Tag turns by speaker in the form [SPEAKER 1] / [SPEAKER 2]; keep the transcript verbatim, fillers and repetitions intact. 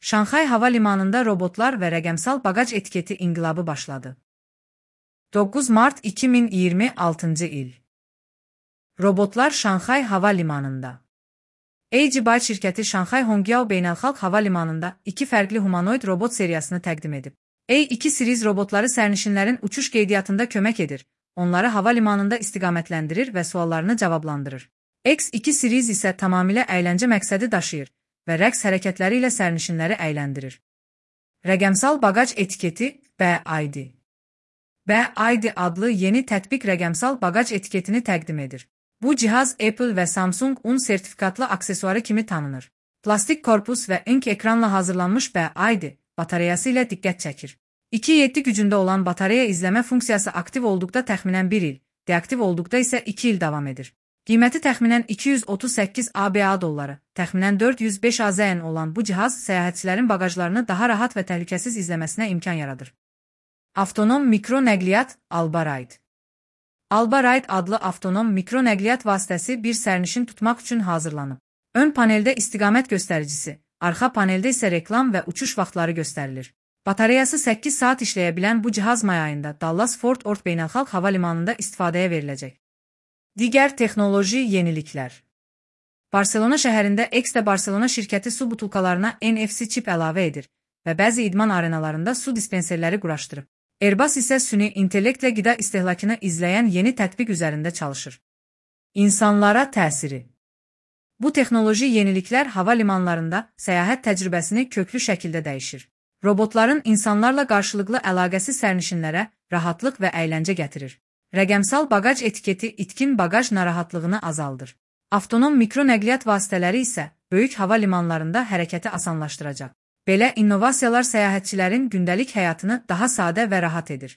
[SPEAKER 1] Şanxay Hava Limanında robotlar və rəqəmsal baqaj etiketi inqilabı başladı. doqquz mart iki min iyirmi altıncı il. Robotlar Şanxay Hava Limanında. A G Byte şirkəti Şanxay Hongyao Beynəlxalq Hava Limanında iki fərqli humanoid robot seriyasını təqdim edib. A iki series robotları sərnişinlərin uçuş qeydiyyatında kömək edir, onları hava limanında istiqamətləndirir və suallarını cavablandırır. X iki series isə tamamilə əyləncə məqsədi daşıyır və rəqs hərəkətləri ilə sərnişinləri əyləndirir. Rəqəmsal baqaj etiketi B I D. B I D adlı yeni tətbiq rəqəmsal baqaj etiketini təqdim edir. Bu cihaz Apple və Samsung un sertifikatlı aksesuarı kimi tanınır. Plastik korpus və ink ekranla hazırlanmış B I D batareyası ilə diqqət çəkir. iki yeddi gücündə olan batareya izləmə funksiyası aktiv olduqda təxminən bir il, deaktiv olduqda isə iki il davam edir. Qiyməti təxminən iki yüz otuz səkkiz ABA dolları, təxminən dörd yüz beş A Z N olan bu cihaz səyahətçilərin baqajlarını daha rahat və təhlükəsiz izləməsinə imkan yaradır. Avtonom mikro nəqliyyat Alba-Ride. Alba-Ride adlı avtonom mikro nəqliyyat vasitəsi bir sərnişin tutmaq üçün hazırlanıb. Ön paneldə istiqamət göstəricisi, arxa paneldə isə reklam və uçuş vaxtları göstərilir. Batareyası səkkiz saat işləyə bilən bu cihaz may ayında Dallas Fort Worth Beynəlxalq Hava Limanında istifadəyə veriləcək. Digər texnoloji yeniliklər. Barselona şəhərində Exda Barselona şirkəti su butulkalarına N F C çip əlavə edir və bəzi idman arenalarında su dispenserləri quraşdırıb. Airbus isə süni intellektlə qida istehlakını izləyən yeni tətbiq üzərində çalışır. İnsanlara təsiri. Bu texnoloji yeniliklər hava limanlarında səyahət təcrübəsini köklü şəkildə dəyişir. Robotların insanlarla qarşılıqlı əlaqəsi sərnişinlərə rahatlıq və əyləncə gətirir. Rəqəmsal baqaj etiketi itkin baqaj narahatlığını azaldır. Avtonom mikro nəqliyyat vasitələri isə böyük hava limanlarında hərəkəti asanlaşdıracaq. Belə innovasiyalar səyahətçilərin gündəlik həyatını daha sadə və rahat edir.